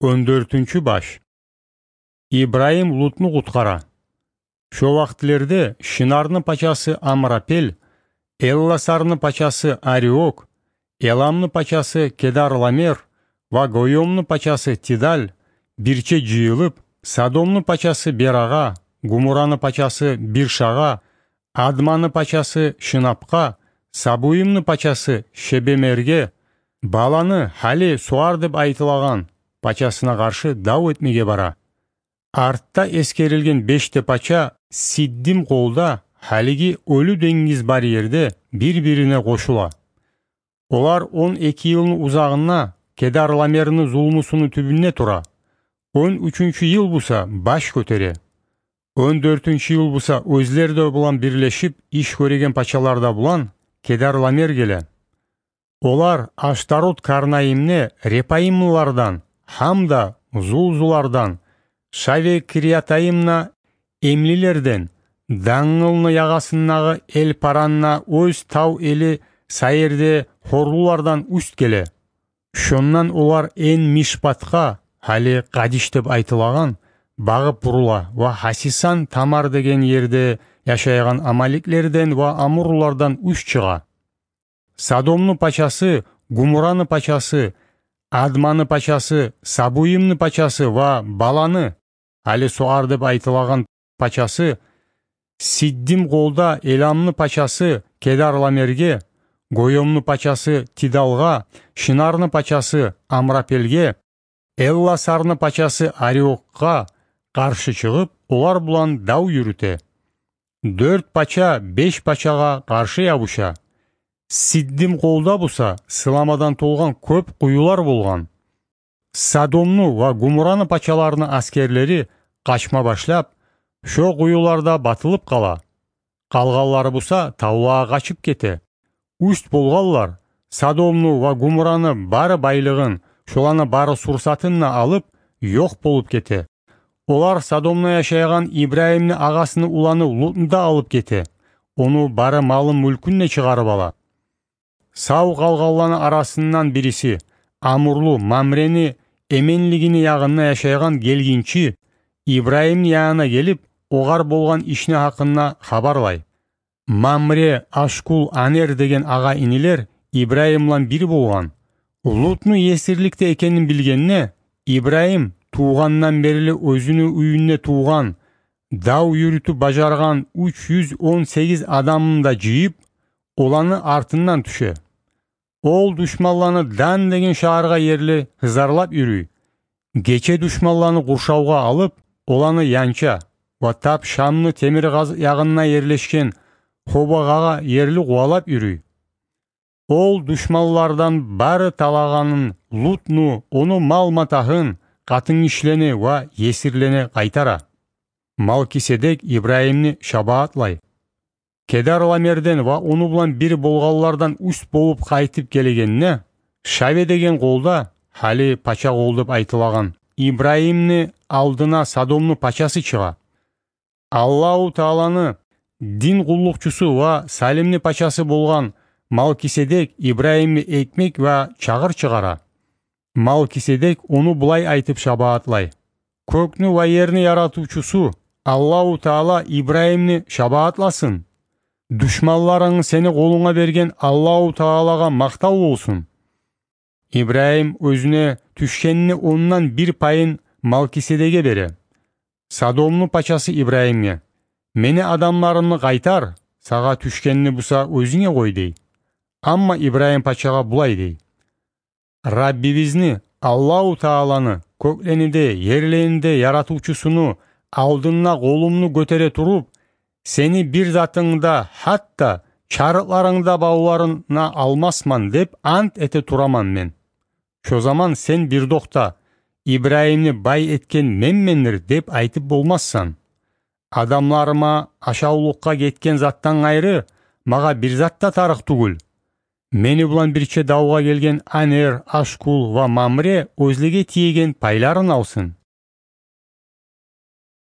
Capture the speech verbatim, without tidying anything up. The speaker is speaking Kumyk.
Он дёртюнчю баш. Ибрагьим Лутну къутгъара. Шо вакътилерде Шинарны пачасы Амрапел, Элласарны пачасы Ариок, Эламны пачасы Кедарламер ва Гойомну пачасы Тидал бирче жыйылып, Содомну пачасы Берагъа, Гумураны пачасы Биршагъа, Адманы пачасы Шинапгъа, Сабуимни пачасы Шебемерге, Баланы, гьали Суар деп айтылагъан, пачасына къаршы дав этмеге бара. Артда эсгерилген беш де пача Сиддим къолда, гьалиги Оьлю денгиз бар ерде, бир-бирине къошула. Олар он эки йылны узагъында Кедарламерни зулмусуну тюбюнде тура. Он уьчюнчю йыл буса баш гётере. Он дёртюнчю йыл буса оьзлер де булан бирлешип иш гёреген пачалар да булан Кедарламер геле. Олар Аштарот-Карнаимде репаимлилардан гьамда зулзулардан, Шаве-Кириатаимда эмлилерден, Дангылны ягъасындагъы Эл-Паранда оьз тав эли Саирде хорлулардан уьст геле. Шондан олар Эн-Мишпатгъа, гьали Къадиш деп айтылагъан, багъып бурула ва Хасисан-Тамар деген ерде яшайгъан амаликлерден ва амурлулардан уьст чыгъа. Содомну пачасы, Гумураны пачасы, Адманы пачасы, Сабуимни пачасы ва Баланы, гьали Суар деп айтылагъан, пачасы, Сиддим къолда Эламны пачасы Кедарламерге, Гойомну пачасы Тидалгъа, Шинарны пачасы Амрапелге, Элласарны пачасы Ариокгъа къаршы чыгъып, олар булан дав юрюте. Дёрт пача беш пачагъа къаршы ябуша. Сиддим къолда буса сыламадан толгъан кёп къуюлар болгъан. Содомну ва Гумураны пачаларыны асгерлери къачма башлап, шо къуюларда батылып къала. Къалгъанлары буса тавлагъа къачып гете. Уьст болгъанлар Содомну ва Гумураны бары байлыгъын, шоланы бары сурсатын да алып, ёкъ болуп гете. Олар Содомда яшайгъан Ибрагьимни агъасыны уланы Лутну да алып гете. Ону бары малын-мюлкюн де чыгъарып ала. Сав къалгъанланы арасындан бириси, амурлу Мамрени эменлигини ягъында яшайгъан гелгинчи, Ибрагьимни янына гелип, огъар болгъан ишни гьакъында хабарлай. Мамре, Ашкул, Анер деген агъа-инилер Ибрагьим булан бир болгъан. Лутну есирликде экенин билгенде, Ибрагьим тувгъандан берли оьзюню уьюнде тувгъан, дав юрютюп бажаргъан уьч юз он сегиз адамын да жыйып, оланы артындан тюше. Ол душманланы Дан деген шагьаргъа ерли гьызарлап юрюй. Гече душманланы къуршавгъа алып, оланы янча ва тап Шамны темиркъазыкъ ягъында ерлешген Хобагъагъа ерли къувалап юрюй. Ол душманлардан бары талагъанын, Лутну, ону мал-матагьын, къатынгишилени ва есирлени къайтара. Малкиседек Ибрагьимни шабаатлай. Кедарламерден ва ону булан бир болгъанлардан уьст болуп къайтып гелегенде, Шаве деген къолда, гьали пача къол деп айтылагъан, Ибрагьимни алдына Содомну пачасы чыгъа. Аллагьу Тааланы дин къуллукъчусу ва Салимни пачасы болгъан Малкиседек Ибрагьимге экмек ва чагъыр чыгъара. Малкиседек ону булай айтып шабаатлай: «Кёкню ва ерни яратывчусу Аллагьу Таала Ибрагьимни шабаатласын. Душманларынгны сени къолунга берген Аллагьу Таалагъа макътав болсун». Ибрагьим оьзюне тюшгенни ондан бир пайын Малкиседеге бере. Содомну пачасы Ибрагьимге: «Мени адамларымны къайтар, сагъа тюшгенни буса оьзюнге къой», — дей. Амма Ибрагьим пачагъа булай дей: «Раббибизни, Аллагьу Тааланы, кёклени де, ерлени де яратывчусуну алдында къолумну гётере туруп, сени бир затынгны да, гьатта чарыкъларынгны да бавларына алмасман деп ант эте тураман мен. Шо заман сен бирдокъда: „Ибрагьимни бай этген менмендир“, — деп айтып болмассан. Адамларыма ашавлукъгъа гетген затдан къайры, магъа бир зат да тарыкъ тюгюл. Мени булан бирче давгъа гелген Анер, Ашкул ва Мамре оьзлеге тиеген пайларын алсын.